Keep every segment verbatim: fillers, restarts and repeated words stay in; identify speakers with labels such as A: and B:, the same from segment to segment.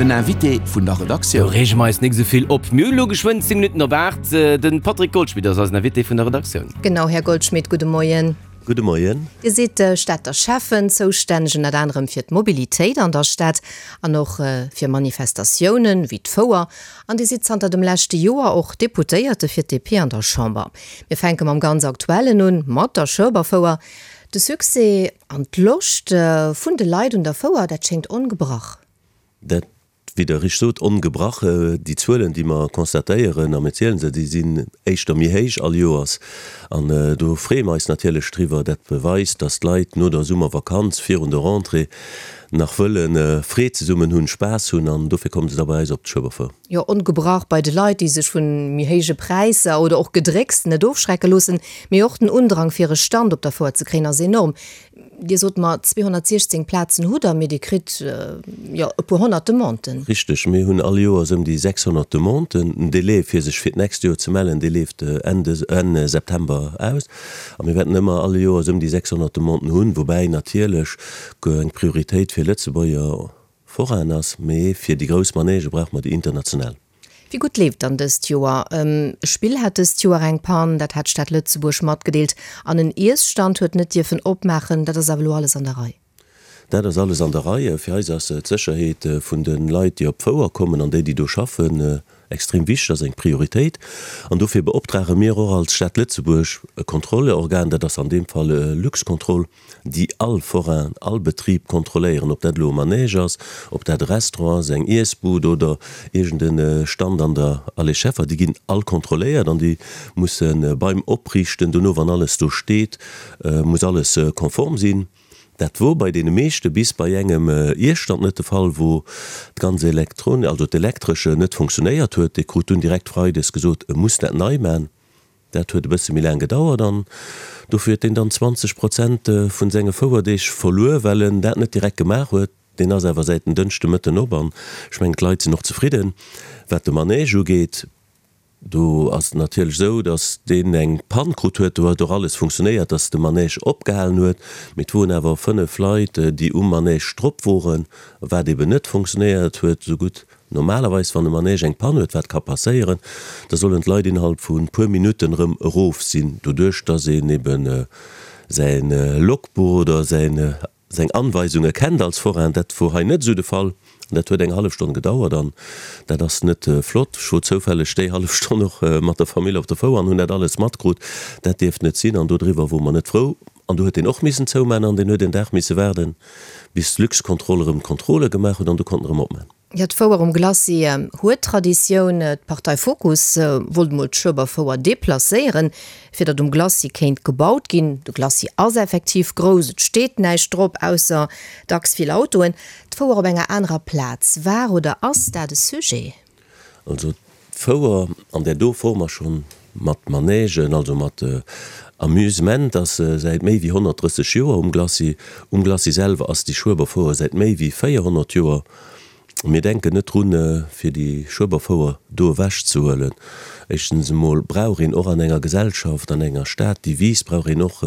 A: Den Invité vun der
B: Do
A: Redaktioun.
B: reege mer eis nik esou vill op. Mir hunn elo geschwënn zéng Minutten op aacht. De Patrick Goldschmidt ass eisen Invité vun der Redaktioun.
C: Genau, Här Goldschmidt, gudde Moien.
D: Gudde Moien.
C: Dir sidd Stater Schäffen, zoustänneg ënnert anerem fir d'Mobilitéit an der Stad an och fir Manifestatiounen wéi d'Fouer. An Dir sidd zanter dem leschte Joer och Deputéierte fir d'DP an der Chamber. Mir fänke mam ganz Aktuellen un, mat der Schueberfouer. De Succès an d'Loscht vun de Leit un der Fouer, dat schéngt ongebrach.
D: Dat, wéi Der richteg sot, ongebrach. Déi Zuelen, déi mer constatéieren, a mir ziele se, déi sinn éischter méi héich all Joers. An do freeë mer eis natierlech driwwer. Dat beweist, dass d'Leit no der Summervakanz, virun der Rentrée, nach wëlle Freed zesummen hunn, Spaass hunn. An dofir komme se da bei eis op d'Schueberfouer.
C: Jo, ongebrach bei de Leit, déi sech vu méi héije Präisser oder och Gedrécks net ofschrecke loossen. Mee och den Undrang, fir e Stand op der Fouer ze kréien, ass enorm. Dir sot mer, zweehonnertsiechzéng Plazen hutt Der, mee Dir kritt jo e puer honnert Demanden.
D: Richteg, mir hunn all Joers ëm déi sechshonnert Demanden. Den Delai, fir sech fir d'nächst Joer ze mellen, dee leeft Enn des, Enn September aus. A mir wäerten ëmmer all Joers ëm déi sechshonnert Demanden hunn, woubäi natierlech eng Prioritéit fir Lëtzebuerger Forainen ass, mee fir déi grouss Manègë brauche mer déi international.
C: Wéi gutt leeft dann dëst Joer? E Spill hat dëst Joer eng Pann, dat hat d'Stad Lëtzebuerg matgedeelt, an en Iesstand huet net dierfen opmaachen. Dat ass awer elo alles an der Rei?
D: Dat ass alles an der Rei. Fir eis ass d'Sécherheet vun de Leit, déi op d'Fouer kommen an déi, déi do schaffen, extrem wichteg, ass eng Prioritéit. An dofir beoptrage mir och als Stad Lëtzebuerg e Kontrollorgan, dat ass an deem Fall Luxcontrol, déi all Forain, all Betrib kontrolléieren, ob dat elo e Manège ass, ob dat e Restaurant ass, eng Iessbud oder iergend e Stand an der Allée Scheffer, déi ginn all kontrolléiert an déi musse beim Opriichten, dono wann alles do steet, muss alles konform sinn. Dat wor bei deene meeschte bis bei engem Iesstand net de Fall, wou d'ganz Elektron, also d'Elektresche net funktionéiert huet. Dee krut dunn direkt freides gesot, e muss dat nei man. Dat huet e bësse méi laang gedauert an dofir huet deen dann zwanzeg Prozent vun senge Fouerdeeg verluer, well en dat net direkt gemaach huet. Deen ass awer säit en Dënschde Mëtten op an ech mengen d'Leit sinn och zefridden. Wat de Manège ugeet, do ass et natierlech esou, datt deen eng Pann krut huet. Do huet och alles funktionéiert, datt de Manège opgehalen huet, mee et woren awer fënnef Leit, déi um Manège drop woren, wat eben net funktionéiert huet esou gutt. Normalerweis, wann e Manège eng Pann huet, wat ka passéieren, da sollen d'Leit innerhalb vu puer Minutten erëm erof sinn, doduerch dass een eben säi Logbuch oder säin, seng Anweisunge kennt als Forain. Dat wor hei net esou de Fall an dat huet eng hallef Stonn gedauert an dat ass net flott. Ech wor zoufälleg déi hallef Stonn och mat der Famill op der Fouer an hunn dat alles matkrut. Dat dierft net sinn an dodriwwer wore mer net frou. An do huet deen och missen zouman an deen huet een Dag misse waarden, bis d'Luxcontrol erëm d'Kontrolle gemaach huet an du konnt en erëm opman.
C: Jo, d'Fouer um Glacis huet Traditioun. D'Partei Fokus wollt mol d'Schueberfouer deplacéieren, fir datt um Glacis kéint gebaut ginn. De Glacis ass effektiv grouss, et steet näischt drop, ausser dacks vill Autoen. D'Fouer op enger anerer Plaz, war oder ass dat e Sujet?
D: Also d'Fouer an där do Form ass schonn mat Manègen, also mat Amusement, ass säit méi wéi honnertdrësseg Joer um Glacis. Um Glacis selwer ass déi Schueberfouer säit méi wéi véierhonnert Joer. Mir denken net drun, fir déi Schueberfouer do ewechzehuelen. Éischtens emol brauch een och an enger Gesellschaft, an enger Stad, déi wiisst, brauch een och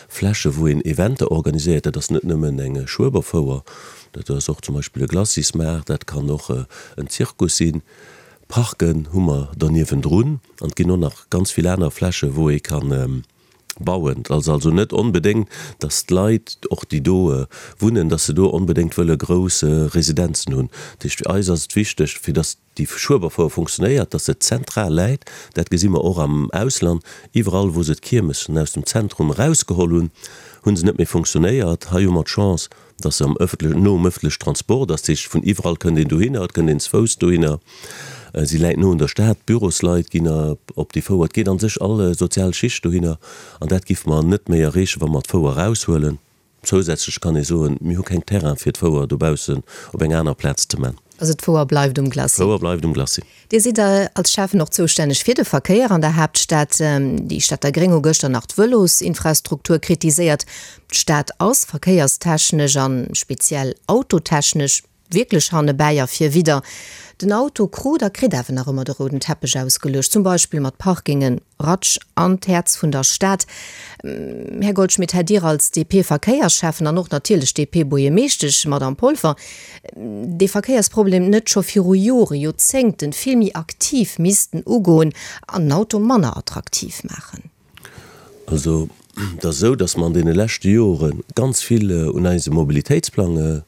D: Fläche wou een Eventer organiséiert. Dat ass net nëmmen eng Schueberfouer, dat ass och zum Beispill e Glacismaart, dat kann och en Zirkus sinn. Parken hu mer der niewendrun an et ginn och nach ganz vill aner Fläche wou ee kann bauen. Et ass also net onbedéngt, datt d'Leit, och déi do wunnen, datt se do onbedéngt wëlle grouss Residenzen hunn. Dat heescht, fir eis ass et wichteg, fir datt déi Schueberfouer funktionéiert, datt se zentral läit. Dat gesi mer och am Ausland. Iwwerall, wou se d'Kiermessen aus dem Zentrum erausgeholl hunn, hu se net méi funktionéiert. Hei hu mer d'Chance, datt se am ëffentle, no um ëffentlechen Transport ass. Dat heescht, vun iwwerall kënnt een dohinner, et kënnt een ze Fouss dohinner. Si läit no un der Stad, d'Bürosleit ginn op déi Fouer, et geet an sech all sozial Schicht dohinner an dat giffe mer net méi erreechen, wa mer d'Fouer eraushuelen. Zousätzlech kann ee soen, mir hu keng Terrain fir d'Fouer dobaussen op eng aner Plaz ze man.
C: Also d'Fouer bleift um Glacis?
D: D'Fouer bleift um Glacis.
C: Dir sidd als Schäffen och zoustänneg fir de Verkéier an der Haaptstad. Déi Stater Gréng hu gëschter nach d'Vëlosinfrastruktur kritiséiert. D'Stad ass verkéierstechnesch a speziell autotechnesch wierklech hannebäi a virwidder. Den Auto krut a kritt awer nach ëmmer de rouden Teppech ausgeluecht, zum Beispill mat Parkingen ratsch an d'Häerz vun der Stad. Här Goldschmidt, hätt Dir als D P-Verkéiersschäffen an och natierlech D P-Buergermeeschtesch, Madamm Polfer, dee Verkéiersproblem net scho viru Jore, Joerzéngten vill méi aktiv missten ugoen an den Auto manner attraktiv maachen?
D: Also, et ass esou, dass mer an deene leschte Jore ganz vill un eisem Mobilitéitsplang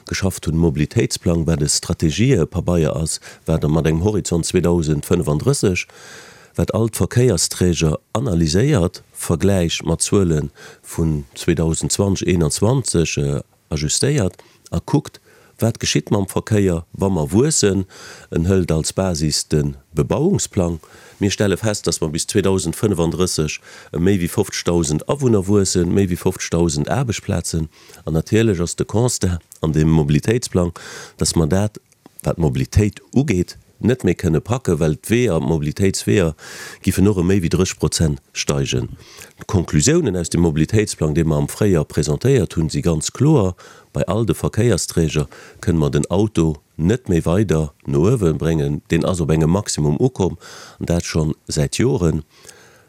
D: geschafft hunn. Mobilitéitsplang, wat e Strategiepabeier ass, wat mat engem Horizont zweedausendfënnefandrësseg, wat all d'Verkéiersträger analyséiert, vergläicht mat Zuele vun zweedausendzwanzeg, eenanzwanzeg, ajustéiert a kuckt, wat geschitt mam Verkéier, wa mer wuessen. En hëlt als Basis de Bebauungsplang. Mir stelle fest, dass mer bis zweedausendfënnefandrësseg ëm méi wéi fofzegdausend Awunner wuessen, méi wéi fofzegdausend Aarbechtsplazen. An natierlech ass de Constat an deem Mobilitéitsplang, dass mer dat, wat d'Mobilitéit ugeet, net méi kënne packen, well d'Weeër, d'Mobilitéitsweeër giffen och ëm méi wéi drësseg Prozent steigen. D'Konklusiounen aus dem Mobilitéitsplang, dee mer am Fréijoer presentéiert hunn, si ganz kloer, Bei all de Verkéiersträger kënne mer den Auto net méi weider no uewe bréngen. Deen ass op engem Maximum ukomm, an dat scho säit Joren.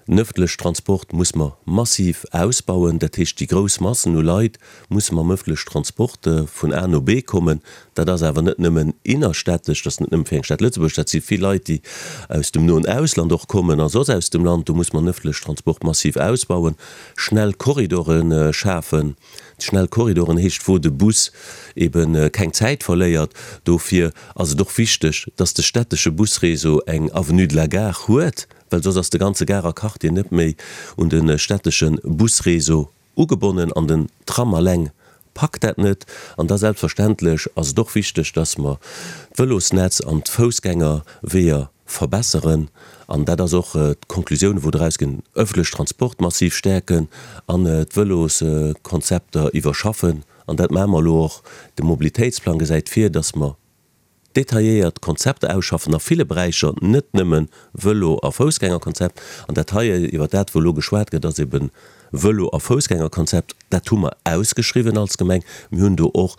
D: Den ëffentlech Transport muss mer massiv ausbauen. Dat heescht, déi grouss Massen u Leit musse mam ëffentlech Transport vun A no B kommen. Dat ass awer net nëmmen innerstädtesch, dat ass net nëmme fir eng Stad Lëtzebuerg, dat si vill Leit, déi aus dem noen Ausland och kommen a soss aus dem Land. Do muss mer den ëffentlech Transport massiv ausbauen, schnell Korridore schafen. Schnell Korridoren heescht, wou de Bus ebe keng Zäit verléiert. Dofir ass et och wichteg, dass de stättesche Busréseau eng Avenue de la Gare huet, well soss ass de ganze Garer Quartier net méi un de stättesche Busréseau ugebonnen an den Tram alleng packt dat net. An da selbstverständlech ass et och wichteg, dass mer d'Vëlosnetz an d'Foussgängerweeër verbesseren. An dat ass och d'Konklusioun, wou draus ginn, ëffentlech Transport massiv stäerken an d'Vëloskonzepter iwwerschaffen. An dat maache mer elo och. De Mobilitéitsplang gesäit vir, dass mer detailléiert Konzepter ausschaffen a ville Beräicher, net nëmme Vëlo a Foussgängerkonzept. An dat hei, iwwert dat, wou elo geschwat gëtt, ass eben Vëlo a Foussgängerkonzept. Dat hu mer ausgeschriwwen als Gemeng. Mir hunn do och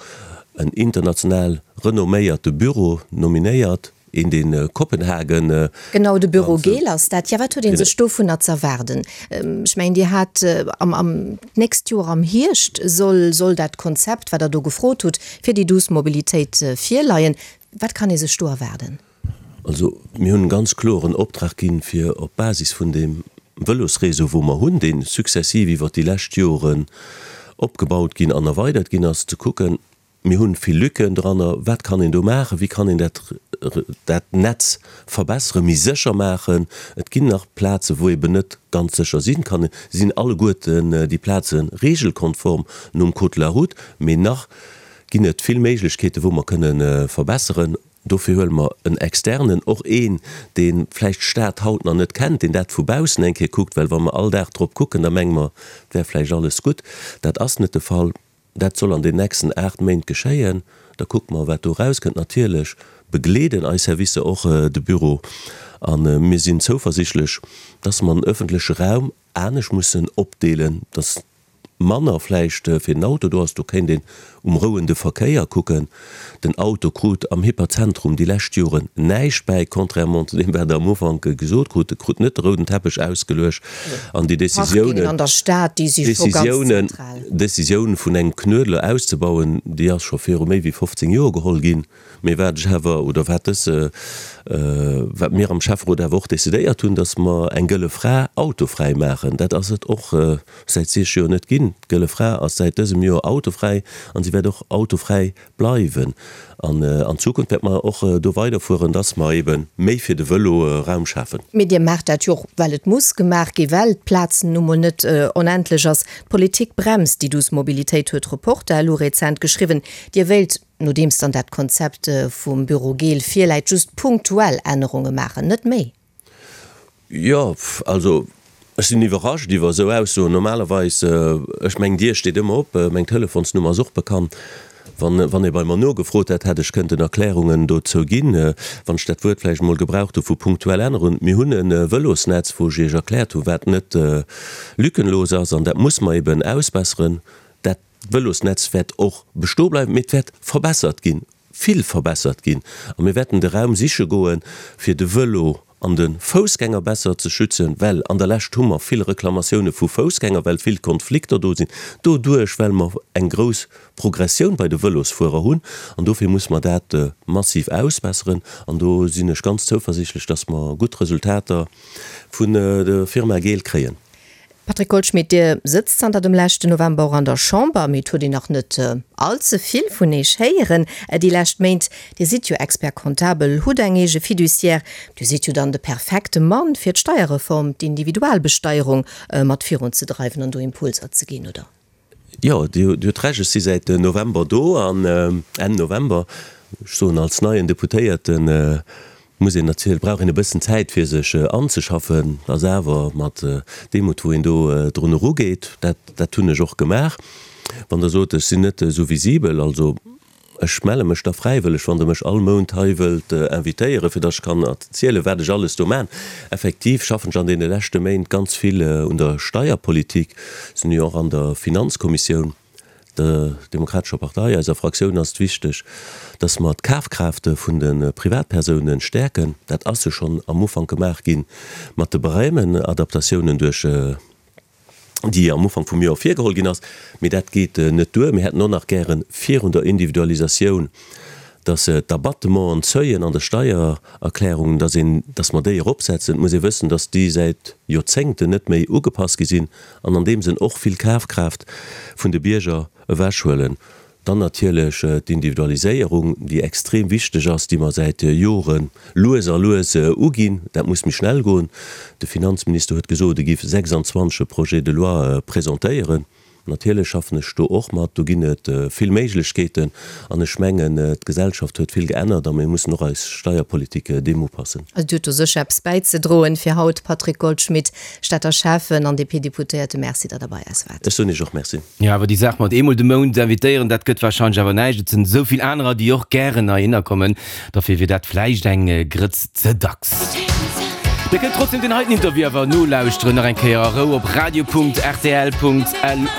D: en international renomméierte Büro nominéiert, een dee Kopenhagen.
C: Genau, de Büro Gehl ass dat. Jo, wat huet ee sech dovunner z'erwaarden? Ech mengen, Dir hat am, am, d'nächst Joer am Hierscht soll, soll dat Konzept, wat Der do gefrot hutt, fir déi duuss Mobilitéit virleien. Wat kann ee sech do erwaarden?
D: Also, mir hunn e ganz kloren Optrag ginn, fir op Basis vun deem Vëlosréseau, wou mer hunn, dee successiv iwwert déi lescht Joren opgebaut ginn an erweidert ginn ass, ze kucken, mir hunn vill Lücken dranner, wat kann een do maachen, wéi kann een dat, dat Netz verbesseren, méi sécher maachen. Et ginn nach Plazen, wou eben net ganz sécher sinn kann. Sinn alleguerten déi Plaze regelkonform nom Code de la route, mee nach ginn et vill Méiglechkeeten, wou mer kënne verbesseren. Dofir huele mer en Externen, och een, dee vläicht d'Stad haut nach net kennt, deen dat vu baussen eng Kéier kuckt, well wa mer all Dag drop kucken, da menge mer, et wär vläicht alles gutt. Dat ass net de Fall. Dat soll an den nächsten aacht Méint geschéien. Da kucke mer, wat do erauskënnt. Natierlech begleeden eis Servicer och de Büro a mir sinn zouversichtlech, dass mer den öffentleche Raum anescht mussen opdeelen, dass manner vläicht fir den Auto do ass. Do kéint een um rouende Verkéier kucken. Den Auto krut am Hyperzentrum déi lescht Joren näischt bäi, contrairement zu deem, wat Der am Ufank gesot krut. E krut net de rouden Teppech ausgeluecht an déi
C: Parkingen an der Stad, déi si scho ganz
D: Décisioune,
C: zentral.
D: Décisioun vun engem Knuedler auszebauen, déi ass scho viru méi wéi fofzéng Joer geholl ginn. Mee wat ech awer, oder wat dës, wat mir am Schäfferot awer och decidéiert hunn, dass mer eng Gëlle Fra autofräi maachen. Dat ass et och säit siech Joer net ginn. D'Gëlle Fra ass säit dësem Joer autofräi an si wäert och autofräi bleiwen. An an Zukunft wäerte mer och do weiderfueren, dass mer eebe méi fir de Vëlo Raum schafen.
C: Mee Dir maacht dat jo och, well et muss gemaach ginn, well d'Plaz nu mol net onendlech ass. D'Politik bremst déi douce Mobilitéit, huet Reporter elo rezent geschriwwen. Dir wéilt, nodeems dann dat Konzept vum Büro Gehl virläit, just punktuell Ännerunge maachen, net méi.
D: Jo, also ech sinn iwwerrascht iwwer esou Aussoen. Normalerweis, ech meng Dier steet ëmmer op, meng Telefonsnummer ass och bekannt. Wann, wann ee bei mer nogefrot hätt, hätt ech kënnten Erklärungen dozou ginn, wann ech dat Wuert vläicht emol gebraucht hu vu punktuell Ännerungen. Mir hunn e Vëlosnetz, wou ech Iech erkläert hu wat net lückenlos ass, an dat muss mer eben ausbesseren. Dat Vëlosnetz wäert och bestoe bleiwen, mee et wäert verbessert ginn. vill verbessert ginn. A mir wäerten de Raum siche goen, fir de Vëlo an de Foussgänger besser ze schützen, well an der Lescht hu mer vill Reklamatioune vu Foussgänger, well vill Konflikter do sinn, doduerch well mer eng grouss Progressioun bei de Vëlosfuerer hunn. An dofir muss mer dat massiv ausbesseren. An do sinn ech ganz zouversiichtlech, dass mer gutt Resultater vun der Firma Gehl kréien.
C: Patrick Goldschmidt, Dir sëtzt zanter dem leschten November och an der Chamber, mee et huet een nach net all ze vill vun Iech héieren déi lescht Méint. Dir sidd jo Expert comptable, hutt eng eege Fiduciaire. Dir sidd jo dann de perfekte Mann fir d'Steierreform, d'Individualbesteierung mat virunzedreiwen an do Impulser ze ginn, oder?
D: Jo, Dir hutt Recht, ech si säit November do an Enn November, ech soen als neien Deputéierten, muss een natierlech, brauch een e bëssen Zäit fir sech anzeschaffen, ass awer mat Demut wou een do drun erugeet. Dat, dat hunn ech och gemaach. Wann Der sot, ech sinn net esou visibel, also ech melle mech da fräiwëlleg, wann Der mech all Mount hei wëllt invitéieren, fir datt ech kann erzielen, wat ech alles do maachen. Effektiv schaffen ech an deene leschte Méint ganz vill un der Steierpolitik, sinn jo och an der Finanzkommissioun. Der Demokratescher Partei, eiser Fraktioun ass et wichteg, dass mer d'Kafkraaft vun de Privatpersounen stäerken. Dat ass jo schonn am Ufank gemaach gi mat de Barèmenadaptatiounen duerch déi am Ufank vum Joer virgeholl ginn ass. Mee dat geet net duer. Mir hätten och nach gäre virun der Individualisatioun, dass d'Abattementen, d'Seuillen an der Steiererklärung, dass een, dass mer déi eropsetzen. Et muss ee wëssen, dass déi säit Joerzéngten net méi ugepasst gi sinn an an deem Sënn och vill Kafkraaft vun de Bierger ewechhuelen. Dann natierlech d'Individualiséierung, déi extrem wichteg ass, déi mer säit Jore lues a lues uginn. Dat muss méi schnell goen. De Finanzminister huet gesot, e géif sechsundzwanzeg e Projet de loi presentéieren. Natierlech schaffen ech do och mat. Do ginn et vill Méiglechkeeten. An ech mengen, d'Gesellschaft huet vill geännert a mir mussen och eis Steierpolitik deem upassen.
C: Also Dir hutt do sécher eppes bäizedroen fir haut, Patrick Goldschmidt, Stater Schäffen an D P-Deputéierte. Merci, datt Der bei eis waart.
D: Ech soen Iech och Merci.
B: Jo, awer déi Saach mat eemol de Mount invitéieren, dat gëtt warscheinlech awer näischt. Et sinn esou vill anerer, déi och gären heihinner kommen. Dofir wier dat vläicht eng Grëtz ze dacks. Dir kënnt trotzdem deen heiten Interview awer nolauschteren, nach eng Kéier a Rou op radio Punkt rtl Punkt lu.